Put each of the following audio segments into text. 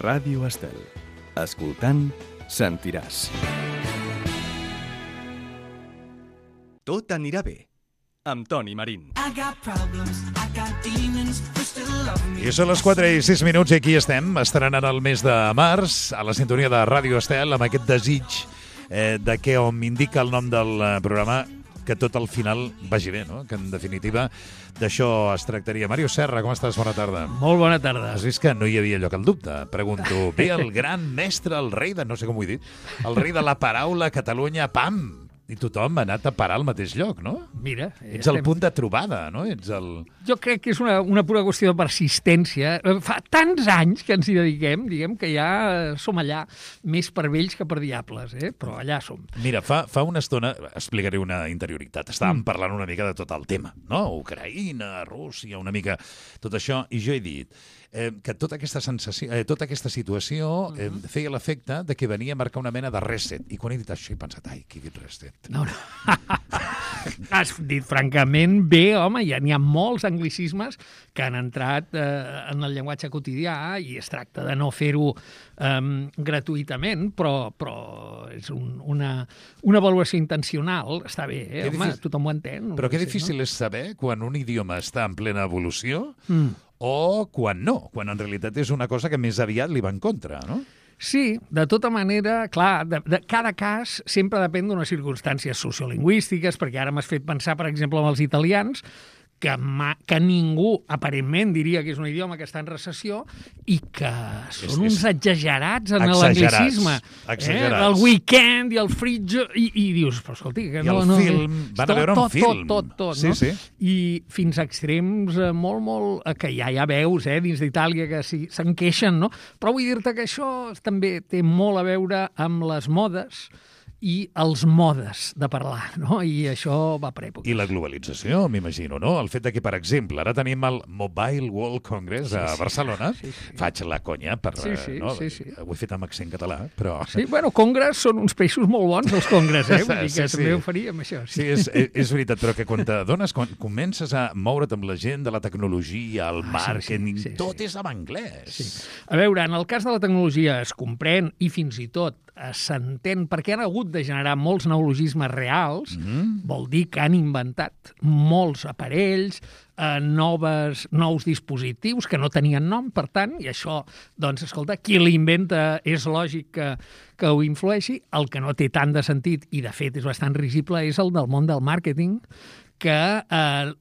Ràdio Estel. Escoltant, sentiràs. Tot anirà bé, amb Toni Marín. I són les 4 i 6 minuts i aquí estem, estrenant el mes de març, a la sintonia de Ràdio Estel, amb aquest desig de que on m'indica el nom del programa, que tot al final vagi bé, no? Que en definitiva d'això es tractaria. Màrius Serra, com estàs? Bona tarda. Molt bona tarda. Has vist que no hi havia lloc al dubte? Pregunto, ve el gran mestre, el rei de... no sé com ho he dit, el rei de la paraula, Catalunya, pam! I tothom ha anat a parar al mateix lloc, no? Mira... Ets el punt de trobada, no? Jo crec que és una pura qüestió de persistència. Fa tants anys que ens hi dediquem, diguem, que ja som allà, més per vells que per diables, però allà som. Mira, fa una estona explicaré una interioritat. Estàvem parlant una mica de tot el tema, no? Ucraïna, Rússia, una mica tot això, i jo he dit que tota aquesta situació feia l'efecte de que venia a marcar una mena de reset. I quan he dit això he pensat, ai, qui ha dit reset? No. Has dit francament bé, home, n'hi ha molts anglicismes que han entrat en el llenguatge quotidià i es tracta de no fer-ho gratuïtament, però és una avaluació intencional, està bé, home, tothom ho entén. Però que difícil és saber quan un idioma està en plena evolució o quan no, quan en realitat és una cosa que més aviat li va en contra, no? Sí, de tota manera, clar, de cada cas sempre depèn d'unes circumstàncies sociolingüístiques, perquè ara m'has fet pensar, per exemple, amb els italians, que ningú aparentment diria que és un idioma que està en recessió i que són uns exagerats en l'anglicisme. El weekend i el fridge, i dius, però escolti... I el film, van a veure un film. Tot, no? Sí. I fins a extrems molt... que ja veus, dins d'Itàlia, que se'n queixen, no? Però vull dir-te que això també té molt a veure amb les modes i els modes de parlar, no? I això va per època. I la globalització, m'imagino, no? El fet de que, per exemple, ara tenim el Mobile World Congress a Barcelona. Sí. Faig la conya per... Sí. Ho he fet amb accent català, però... Sí, bueno, congress són uns peixos molt bons, els congress, Vull dir que també ho faríem, això. Sí, és veritat, però que quan t'adones, quan comences a moure't amb la gent de la tecnologia, el màrqueting, tot és en anglès. Sí. A veure, en el cas de la tecnologia es comprèn i fins i tot s'entén, perquè han hagut de generar molts neologismes reals, vol dir que han inventat molts aparells, nous dispositius que no tenien nom, per tant, i això, doncs, escolta, qui l'inventa és lògic que ho influeixi. El que no té tant de sentit, i de fet és bastant risible, és el del món del màrqueting, que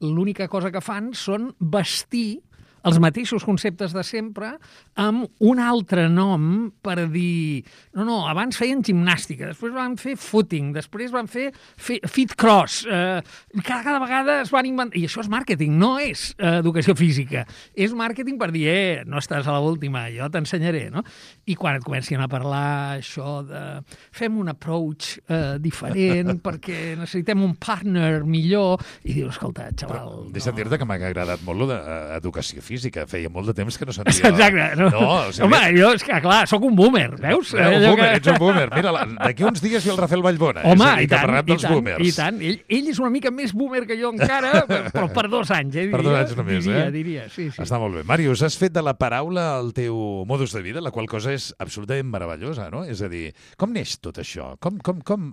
l'única cosa que fan són vestir els mateixos conceptes de sempre amb un altre nom per dir... No, abans feien gimnàstica, després van fer footing, després van fer fit cross. Cada vegada es van inventar... I això és màrqueting, no és educació física. És màrqueting per dir, no estàs a l'última, jo t'ensenyaré, no? I quan et comencin a parlar això de... Fem un approach diferent perquè necessitem un partner millor, i dius, escolta, xaval... Deixa'm dir-te que m'ha agradat molt l'educació física. Feia molt de temps que no sentia... Exacte. Home, jo, és que, clar, sóc un boomer, veus? Ets un boomer. Mira, d'aquí uns dies ve el Rafael Vallbona. Home, i tant. Ell és una mica més boomer que jo encara, però per 2 anys, Per 2 anys només, diria. Sí. Està molt bé. Màrius, has fet de la paraula el teu modus de vida, la qual cosa és absolutament meravellosa, no? És a dir, com neix tot això? Com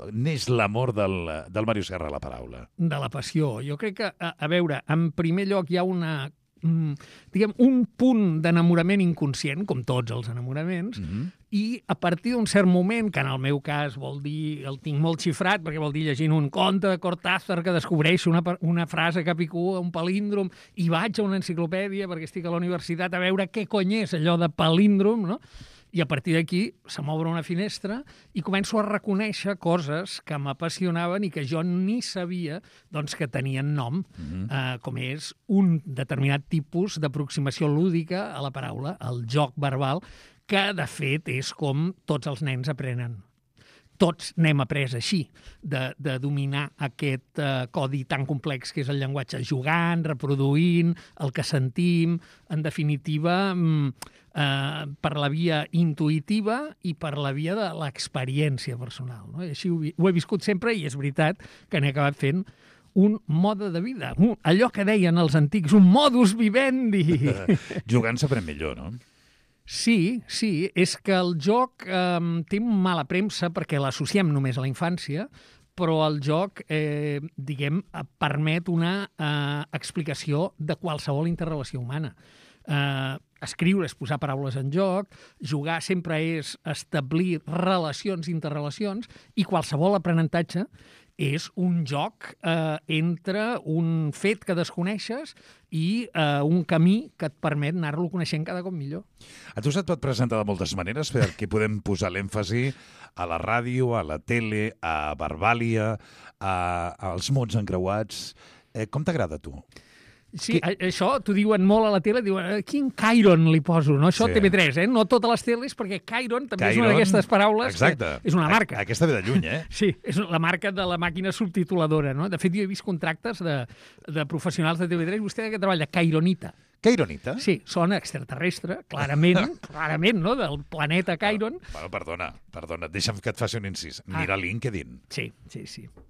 neix l'amor del Màrius Serra a la paraula? De la passió. Jo crec que, a veure, en primer lloc hi ha un punt d'enamorament inconscient, com tots els enamoraments, i a partir d'un cert moment, que en el meu cas vol dir, el tinc molt xifrat, perquè vol dir llegint un conte de Cortázar que descobreixo una frase que picua, un palíndrom, i vaig a una enciclopèdia, perquè estic a la universitat, a veure què cony és allò de palíndrom, no? I a partir d'aquí se m'obre una finestra i començo a reconèixer coses que m'apassionaven i que jo ni sabia doncs, que tenien nom, com és un determinat tipus d'aproximació lúdica a la paraula, el joc verbal, que de fet és com tots els nens aprenen. Tots n'hem après així, de dominar aquest codi tan complex que és el llenguatge, jugant, reproduint, el que sentim, en definitiva, per la via intuïtiva i per la via de l'experiència personal. No? I així ho he viscut sempre i és veritat que n'he acabat fent un mode de vida, allò que deien els antics, un modus vivendi. Jugant s'aprèn millor, no? Sí, és que el joc té mala premsa perquè l'associem només a la infància, però el joc, permet una explicació de qualsevol interrelació humana. Escriure és posar paraules en joc, jugar sempre és establir relacions, interrelacions, i qualsevol aprenentatge és un joc entre un fet que desconeixes i un camí que et permet anar-lo coneixent cada cop millor. A tu se't pot presentar de moltes maneres, perquè podem posar l'èmfasi a la ràdio, a la tele, a Verbàlia, als mots encreuats. Com t'agrada a tu? Sí, això t'ho diuen molt a la tele, diuen, quin Chiron li poso, no? Això TV3, no totes les teles, perquè Chiron també és una d'aquestes paraules. Exacte. Que és una marca. Aquesta ve de lluny, Sí, és la marca de la màquina subtituladora, no? De fet, jo he vist contractes de professionals de TV3, vostè que treballa, Chironita. Chironita? Sí, sona extraterrestre, clarament, no?, del planeta Chiron. Bueno, perdona, deixa'm que et faci un incís. Mira LinkedIn. Sí.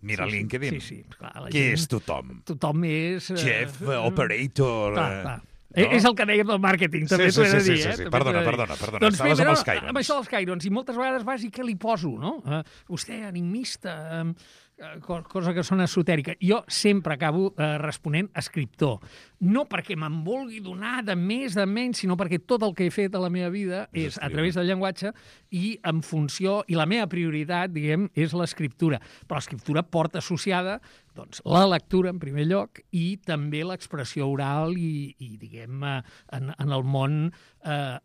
Mira LinkedIn. Sí. Clar, Què és tothom? Tothom és... Chef, operator... Clar. No? És el que dèiem del màrqueting, també t'ho he de dir. Sí. Perdona. Doncs estaves amb els Chirons. Amb això dels Chirons, i moltes vegades vas i què li poso, no? Vostè, enigmista, cosa que sona esotèrica. Jo sempre acabo responent escriptor. No perquè me'n vulgui donar de més, de menys, sinó perquè tot el que he fet a la meva vida és a través del llenguatge i en funció, i la meva prioritat, diguem, és l'escriptura. Però l'escriptura porta associada doncs, la lectura, en primer lloc, i també l'expressió oral i diguem, en el món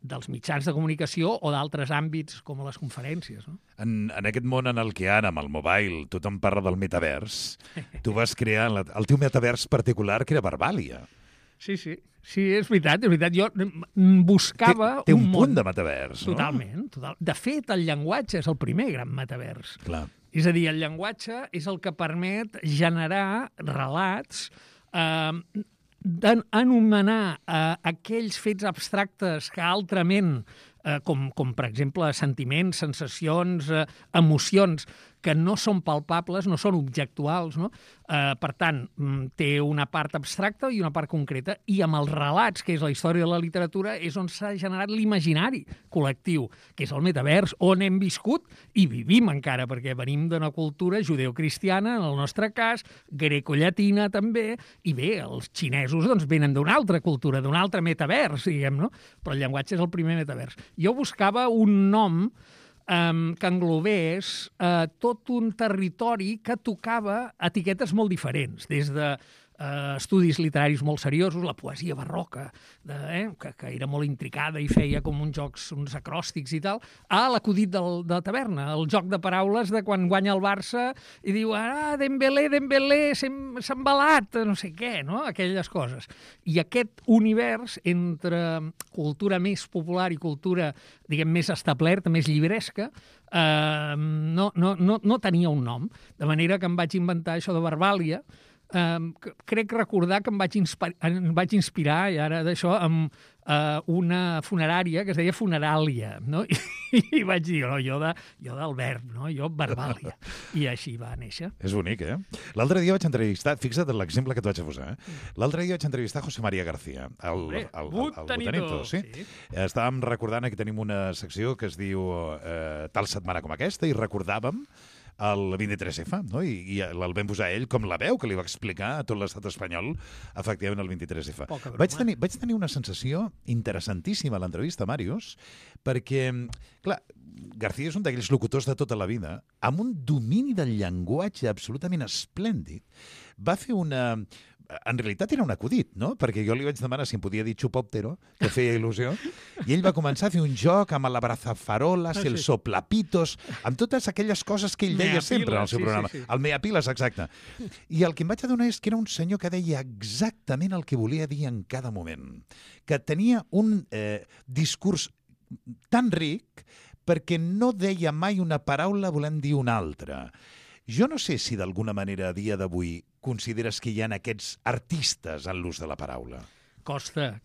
dels mitjans de comunicació o d'altres àmbits com les conferències. No? En aquest món en el que ara, amb el mobile, tothom parla del metavers, tu vas crear el teu metavers particular, que era Verbàlia. Sí, és veritat. Jo buscava té un món. punt de metavers, no? Totalment. De fet, el llenguatge és el primer gran metavers. Clar. És a dir, el llenguatge és el que permet generar relats, d'anomenar aquells fets abstractes que altrament, com per exemple sentiments, sensacions, emocions, que no són palpables, no són objectuals, no? Per tant, té una part abstracta i una part concreta, i amb els relats, que és la història de la literatura, és on s'ha generat l'imaginari col·lectiu, que és el metavers, on hem viscut i vivim encara, perquè venim d'una cultura judeocristiana, en el nostre cas, grecollatina també, i bé, els xinesos doncs, venen d'una altra cultura, d'un altre metavers, diguem, no? Però el llenguatge és el primer metavers. Jo buscava un nom que englobés tot un territori que tocava etiquetes molt diferents, des de estudis literaris molt seriosos, la poesia barroca, que era molt intricada i feia com uns acròstics i tal, a l'acudit de taverna, el joc de paraules de quan guanya el Barça i diu, Dembélé, s'ha embalat, no sé què, no? Aquelles coses. I aquest univers entre cultura més popular i cultura, diguem, més establerta, més llibresca, no tenia un nom. De manera que em vaig inventar això de Verbàlia. Crec recordar que em vaig inspirar, i ara d'això, amb una funerària que es deia Funeràlia, no? I vaig dir, jo del verb, no? Jo Verbàlia. I així va néixer. És bonic, L'altre dia vaig entrevistar, fixa't l'exemple que et vaig posar, l'altre dia vaig entrevistar José María García, el Botanito. Sí? Estàvem recordant que tenim una secció que es diu Tal setmana com aquesta, i recordàvem el 23F, no? I el vam posar ell com la veu que li va explicar a tot l'estat espanyol efectivament el 23F. Vaig tenir una sensació interessantíssima a l'entrevista, Màrius, perquè, clar, García és un d'aquells locutors de tota la vida, amb un domini del llenguatge absolutament esplèndid. Va fer en realitat era un acudit, no? Perquè jo li vaig demanar si em podia dir xupòptero, que feia il·lusió, i ell va començar a fer un joc amb l'abrazafaroles, el soplapitos, amb totes aquelles coses que ell deia sempre en el seu programa. El meapiles, exacte. I el que em vaig adonar és que era un senyor que deia exactament el que volia dir en cada moment, que tenia un discurs tan ric perquè no deia mai una paraula volent dir una altra. Jo no sé si d'alguna manera a dia d'avui consideres que hi ha aquests artistes en l'ús de la paraula. Costa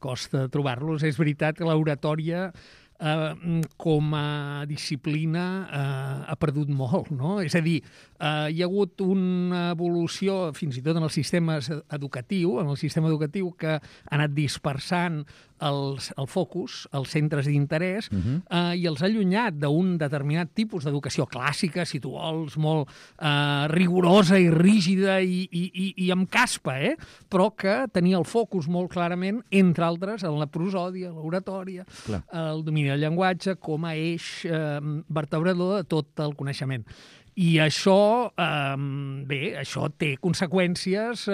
trobar-los. És veritat que l'oratòria com a disciplina ha perdut molt, no? És a dir, hi ha hagut una evolució fins i tot en el sistema educatiu, que ha anat dispersant el focus, els centres d'interès, i els ha allunyat d'un determinat tipus d'educació clàssica, si tu vols, molt rigorosa i rígida i amb caspa, però que tenia el focus molt clarament, entre altres, en la prosòdia, l'oratòria, el domini del llenguatge, com a eix vertebrador de tot el coneixement. I això, això té conseqüències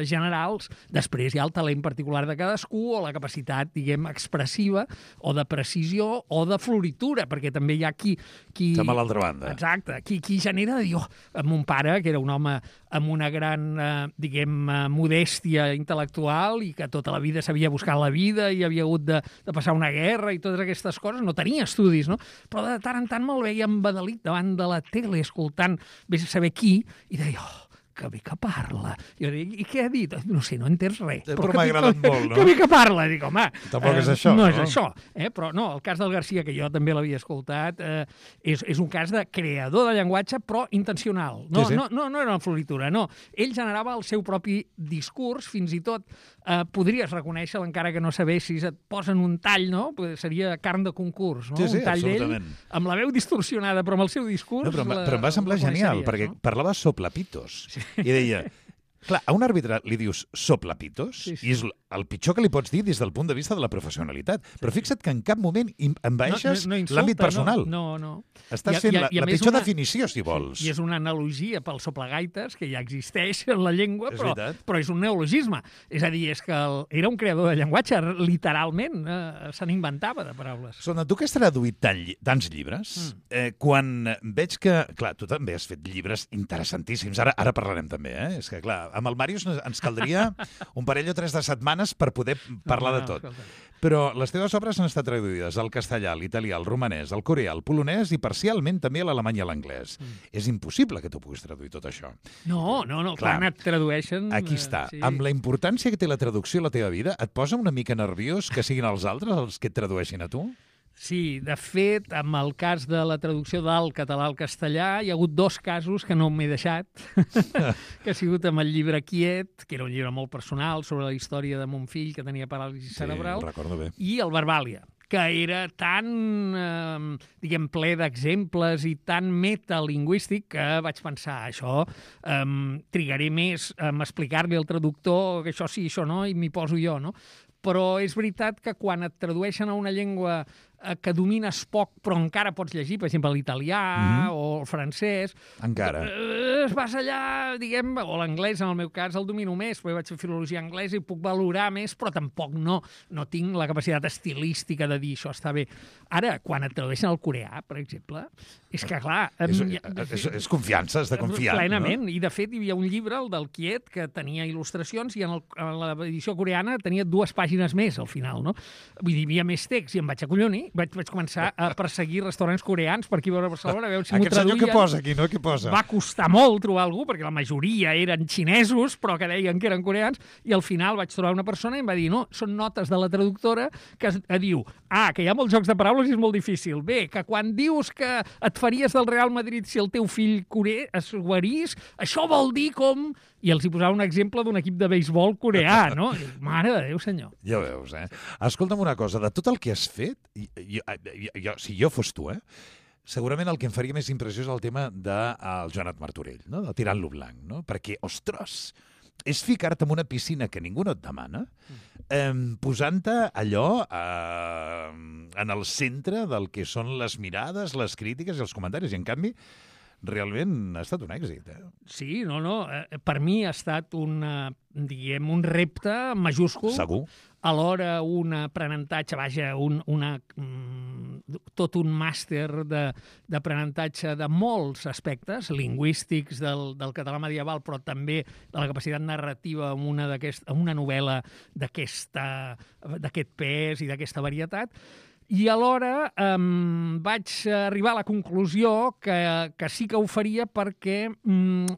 generals. Després hi ha el talent particular de cadascú o la capacitat, diguem, expressiva o de precisió o de floritura, perquè també hi ha qui... Estem a l'altra banda. Exacte. Qui genera de dir, mon pare, que era un home amb una gran, modèstia intel·lectual i que tota la vida s'havia buscat la vida i havia hagut de passar una guerra i totes aquestes coses, no tenia estudis, no? Però de tant en tant me'l veia embadalit davant de la tele, escoltant vés a saber qui, i deia, que bé que parla. Jo dic, i què ha dit? No sé, no entens res. Però m'ha agradat molt, no? Que bé que parla. Dic, home... Tampoc és això, no? No és això. Però no, el cas del Garcia, que jo també l'havia escoltat, és un cas de creador de llenguatge, però intencional. No, sí. no era una floritura, no. Ell generava el seu propi discurs, fins i tot podries reconèixer-lo, encara que no sabessis, et posen un tall, no? Seria carn de concurs, no? Sí, un tall absolutament. d'ell, amb la veu distorsionada, però amb el seu discurs... No, però em va semblar genial, perquè parlava soplapitos. Sí. I deia, clar, a un àrbitre li dius soplapitos, i és el pitjor que li pots dir des del punt de vista de la professionalitat. Però fixa't que en cap moment envaeixes l'àmbit personal. No. Estàs fent la pitjor definició, si vols. I és una analogia pel soplagaites, que ja existeix en la llengua, però és un neologisme. És a dir, és que era un creador de llenguatge, literalment, se n'inventava de paraules. Sona, tu que has traduït tants llibres, quan veig que... Clar, tu també has fet llibres interessantíssims, ara parlarem també, És que, clar, amb el Màrius ens caldria un parell o 3 de setmanes per poder parlar de tot. Però les teves obres han estat traduïdes al castellà, a l'italià, al romanès, al coreà, al polonès i parcialment també a l'alemany i a l'anglès. És impossible que tu puguis traduir tot això. No, quan et tradueixen... Aquí està. Sí. Amb la importància que té la traducció a la teva vida, et posa una mica nerviós que siguin els altres els que et tradueixin a tu? Sí, de fet, amb el cas de la traducció del català al castellà, hi ha hagut 2 casos que no m'he deixat, que ha sigut amb el llibre Quiet, que era un llibre molt personal sobre la història de mon fill, que tenia paràlisi cerebral, recordo bé. I el Verbàlia, que era tan, ple d'exemples i tan metalingüístic que vaig pensar, això trigaré més a explicar-li al traductor que això sí, això no, i m'hi poso jo, no? Però és veritat que quan et tradueixen a una llengua que domines poc, però encara pots llegir, per exemple, l'italià o el francès... Encara. Vas allà, diguem, o l'anglès, en el meu cas, el domino més, perquè vaig fer filologia anglesa i puc valorar més, però tampoc no tinc la capacitat estilística de dir això està bé. Ara, quan et tradueixen al coreà, per exemple, és que, clar... És confiança, has de confiar. Plenament, no? I de fet hi havia un llibre, el del Quiet, que tenia il·lustracions i en l'edició coreana tenia 2 pàgines més, al final, no? Vull dir, hi havia més text i em vaig acollonir, vaig començar a perseguir restaurants coreans per aquí a Barcelona, a veure si m'ho traduïen. Aquest senyor què posa aquí, no? Què posa? Va costar molt trobar algú, perquè la majoria eren xinesos, però que deien que eren coreans, i al final vaig trobar una persona i em va dir, no, són notes de la traductora que diu, que hi ha molts jocs de paraules i és molt difícil. Bé, que quan dius que et faries del Real Madrid si el teu fill coreà es guarís, això vol dir com... I els hi posava un exemple d'un equip de beisbol coreà, no? Mare de Déu, senyor. Ja veus, Escolta'm una cosa, de tot el que has fet, si jo fos tu, segurament el que em faria més impressió és el tema del Joanot Martorell, no? De Tirant-lo blanc, no? Perquè, ostres, és ficar-te en una piscina que ningú no et demana, posant-te allò en el centre del que són les mirades, les crítiques i els comentaris, i en canvi realment ha estat un èxit. Sí, per mi ha estat un repte majúscul. Segur. Alhora un aprenentatge, tot un màster d'aprenentatge de molts aspectes, lingüístics del català medieval, però també de la capacitat narrativa en una novel·la d'aquest pes i d'aquesta varietat. I alhora vaig arribar a la conclusió que sí que ho faria perquè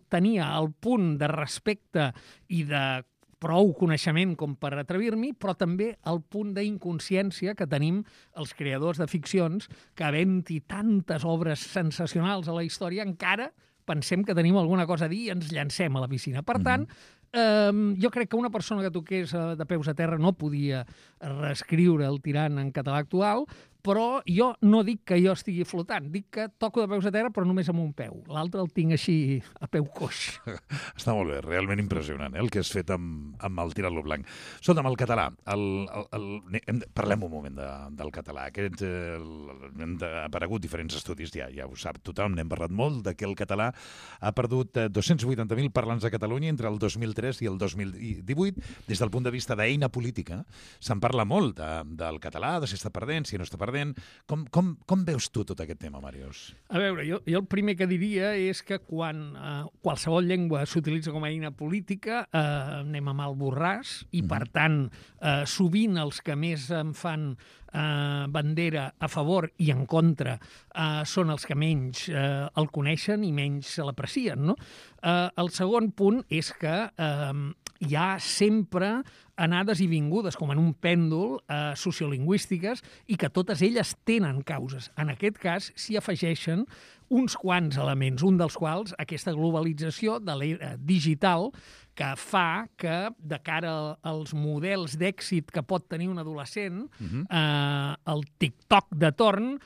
tenia el punt de respecte i de prou coneixement com per atrevir-m'hi, però també el punt d'inconsciència que tenim els creadors de ficcions, que havent-hi tantes obres sensacionals a la història, encara pensem que tenim alguna cosa a dir i ens llancem a la piscina. Per tant, Jo crec que una persona que toqués de peus a terra no podia reescriure el tirant en català actual, però jo no dic que jo estigui flotant, dic que toco de peus a terra però només amb un peu. L'altre el tinc així a peu coix. Està molt bé, realment impressionant, el que has fet amb el Tirant-lo Blanc. Escolta'm, el català, parlem un moment del català. Han aparegut diferents estudis, ja ho sap tothom, n'hem parlat molt, que el català ha perdut 280.000 parlants a Catalunya entre el 2003 i el 2018. Des del punt de vista d'eina política, se'n parla molt del català, de si està perdent, si no està perdent. Com veus tu tot aquest tema, Màrius? A veure, jo el primer que diria és que quan qualsevol llengua s'utilitza com a eina política, anem a mal borràs, i per tant, sovint els que més en fan bandera a favor i en contra són els que menys el coneixen i menys se l'aprecien, no? El segon punt és que hi ha sempre anades i vingudes, com en un pèndol, sociolingüístiques, i que totes elles tenen causes. En aquest cas, s'hi afegeixen uns quants elements, un dels quals aquesta globalització de l'era digital que fa que, de cara als models d'èxit que pot tenir un adolescent, el TikTok de torn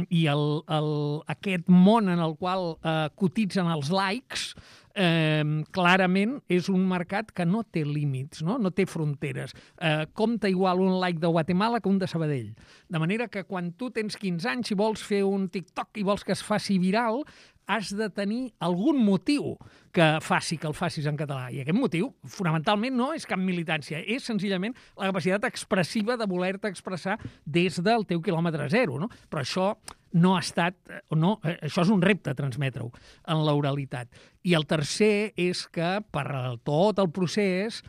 i aquest món en el qual cotitzen els likes, clarament és un mercat que no té límits, no té fronteres. Compta igual un like de Guatemala que un de Sabadell. De manera que quan tu tens 15 anys i vols fer un TikTok i vols que es faci viral, has de tenir algun motiu que faci que el facis en català. I aquest motiu, fonamentalment, no és cap militància, és senzillament la capacitat expressiva de voler-te expressar des del teu quilòmetre zero, no? Però això no ha estat... No, això és un repte, transmetre-ho en l'oralitat. I el tercer és que, per tot el procés,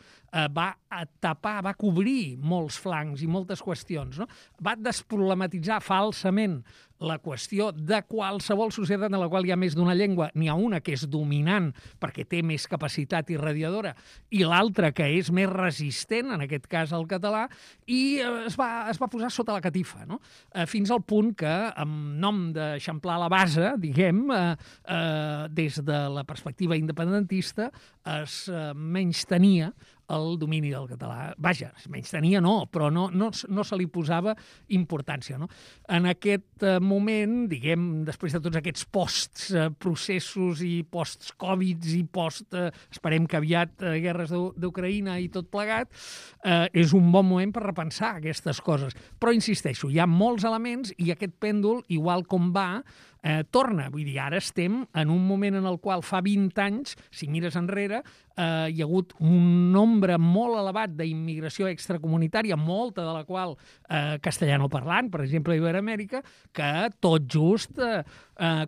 va tapar, va cobrir molts flancs i moltes qüestions, no? Va desproblematitzar falsament la qüestió de qualsevol societat en la qual hi ha més d'una llengua. N'hi ha una que és dominant perquè té més capacitat irradiadora i l'altra que és més resistent, en aquest cas el català, i es va posar sota la catifa, no? Fins al punt que, en nom d'eixamplar la base, diguem, des de la perspectiva independentista, es menystenia el domini del català. Vaja, menystenia no, però no se li posava importància, no? En aquest moment, diguem, després de tots aquests post-processos i post-Covid i esperem que aviat, guerres d'Ucraïna i tot plegat, és un bon moment per repensar aquestes coses. Però, insisteixo, hi ha molts elements i aquest pèndol, igual com va, torna. Vull dir, ara estem en un moment en el qual fa 20 anys, si mires enrere, hi ha hagut un nombre molt elevat d'immigració extracomunitària, molta de la qual castellanoparlant, per exemple, a Iberoamèrica, que tot just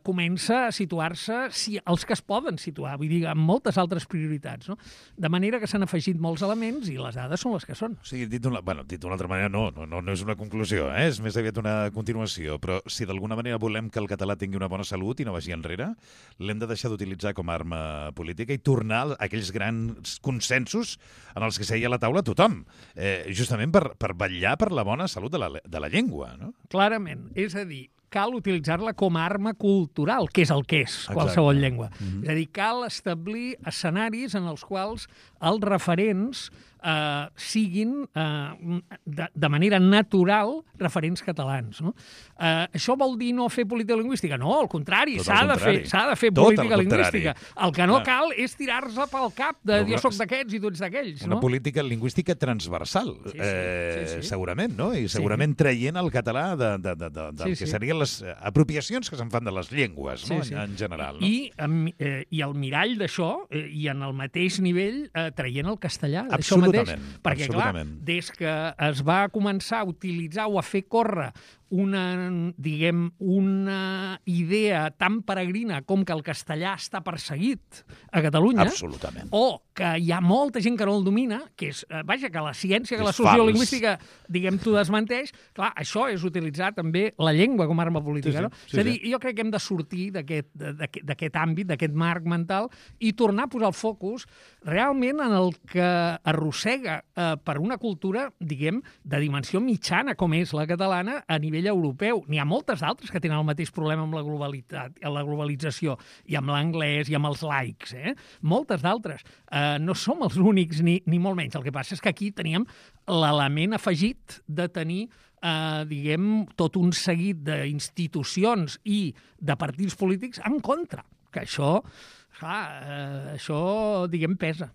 comença a situar-se, els que es poden situar, vull dir, amb moltes altres prioritats, no? De manera que s'han afegit molts elements i les dades són les que són. O sigui, dit d'una altra manera, no és una conclusió, és més aviat una continuació, però si d'alguna manera volem que el català tingui una bona salut i no vagi enrere, l'hem de deixar d'utilitzar com a arma política i tornar a aquells grans consensos en els que seia a la taula tothom, justament per vetllar per la bona salut de la llengua, no? Clarament, és a dir, cal utilitzar-la com a arma cultural, que és el que és qualsevol llengua. És a dir, cal establir escenaris en els quals els referents siguin de manera natural referents catalans, no? Això vol dir no fer política lingüística? No, al contrari, s'ha de fer política lingüística. El que no cal és tirar-se pel cap de jo soc d'aquests i tu ets d'aquells, no? Una política lingüística transversal, segurament, no? I segurament traient el català del que serien les apropiacions que se'n fan de les llengües, no? En general. I el mirall d'això, i en el mateix nivell, traient el castellà d'això mateix. Perquè, clar, des que es va començar a utilitzar o a fer córrer una idea tan peregrina com que el castellà està perseguit a Catalunya, o que hi ha molta gent que no el domina, que és, vaja, que la ciència, que la sociolingüística, diguem, t'ho desmenteix, clar, això és utilitzar també la llengua com a arma política, no? És a dir, jo crec que hem de sortir d'aquest àmbit, d'aquest marc mental, i tornar a posar el focus realment en el que arrossega per una cultura, diguem, de dimensió mitjana, com és la catalana, a nivell nivell europeu. N'hi ha moltes d'altres que tenen el mateix problema amb la globalització, i amb l'anglès, i amb els laics. Moltes d'altres. No som els únics, ni molt menys. El que passa és que aquí teníem l'element afegit de tenir tot un seguit d'institucions i de partits polítics en contra. Que això, pesa.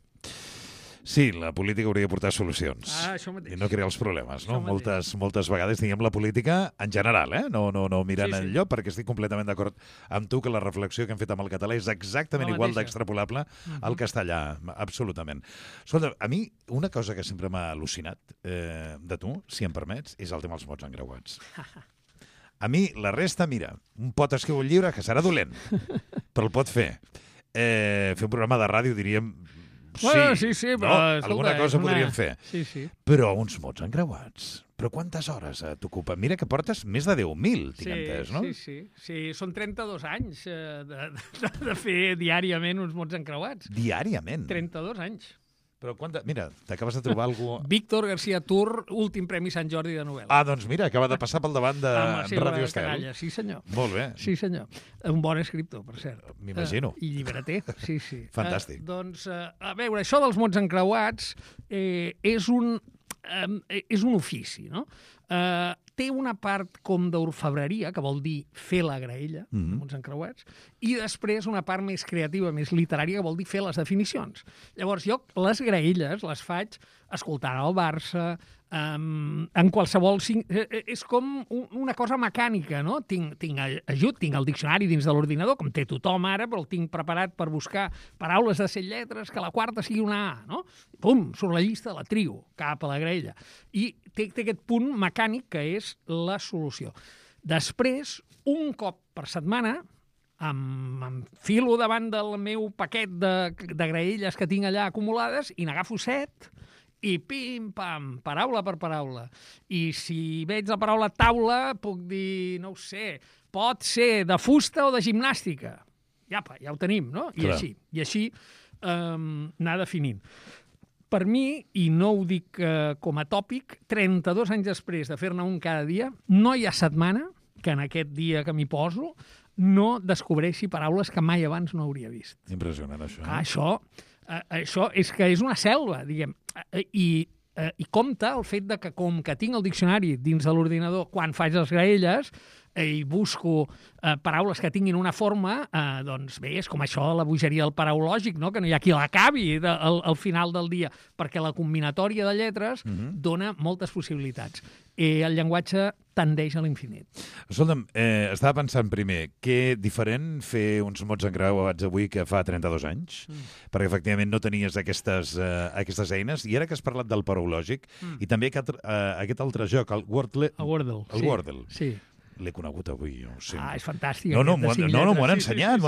Sí, la política hauria de portar solucions. Això mateix. I no crear els problemes, no? Moltes vegades, diguem, la política en general, no mirant enlloc, perquè estic completament d'acord amb tu que la reflexió que hem fet amb el català és exactament igual d'extrapolable al castellà, absolutament. Escolta, a mi una cosa que sempre m'ha al·lucinat de tu, si em permets, és el tema dels mots encreuats. A mi, la resta, mira, un pot escriure un llibre que serà dolent, però el pot fer. Fer un programa de ràdio, diríem... Sí, però... No? Alguna cosa podríem fer. Sí. Però uns mots encreuats. Però quantes hores t'ocupa? Mira que portes més de 10.000, tinc entès, no? Sí, són 32 anys de fer diàriament uns mots encreuats. Diàriament? 32 anys. Però mira, t'acabes de trobar algú... Víctor García Tur, últim Premi Sant Jordi de novel·la. Doncs mira, acaba de passar pel davant de Ràdio Estel. Sí, senyor. Molt bé. Sí, senyor. Un bon escriptor, per cert. M'imagino. I llibreter, sí. Fantàstic. A veure, això dels mots encreuats és un ofici, no? Té una part com d'orfebreria, que vol dir fer la graella, mots encreuats, i després una part més creativa, més literària, que vol dir fer les definicions. Llavors, jo les graelles les faig escoltant el Barça, en qualsevol... És com una cosa mecànica, no? Tinc el diccionari dins de l'ordinador, com té tothom ara, però el tinc preparat per buscar paraules de 7 lletres, que la quarta sigui una A, no? Pum, surt la llista, la trio, cap a la graella. I té aquest punt mecànic que és la solució. Després, un cop per setmana, m'enfilo davant del meu paquet de graelles que tinc allà acumulades i n'agafo 7 i pim-pam, paraula per paraula. I si veig la paraula taula, puc dir, no ho sé, pot ser de fusta o de gimnàstica. Ja ho tenim, no? I així anar definint. Per mi, i no ho dic com a tòpic, 32 anys després de fer-ne un cada dia, no hi ha setmana que en aquest dia que m'hi poso no descobreixi paraules que mai abans no hauria vist. Impressionant, això. Això és que és una selva, diguem. I compta el fet de que, com que tinc el diccionari dins de l'ordinador, quan faig les graelles i busco paraules que tinguin una forma, doncs bé, és com això la bogeria del paraulògic, no? Que no hi ha qui l'acabi al final del dia, perquè la combinatòria de lletres dona moltes possibilitats. El llenguatge tendeix a l'infinit. Escolta'm, estava pensant primer, que diferent fer uns mots encreuats avui que fa 32 anys, perquè efectivament no tenies aquestes eines, i ara que has parlat del paraulògic, i també aquest altre joc, el Wordle. El Wordle. El Wordle. Sí. L'he conegut avui, jo. És fantàstic. No, m'ho han ensenyat.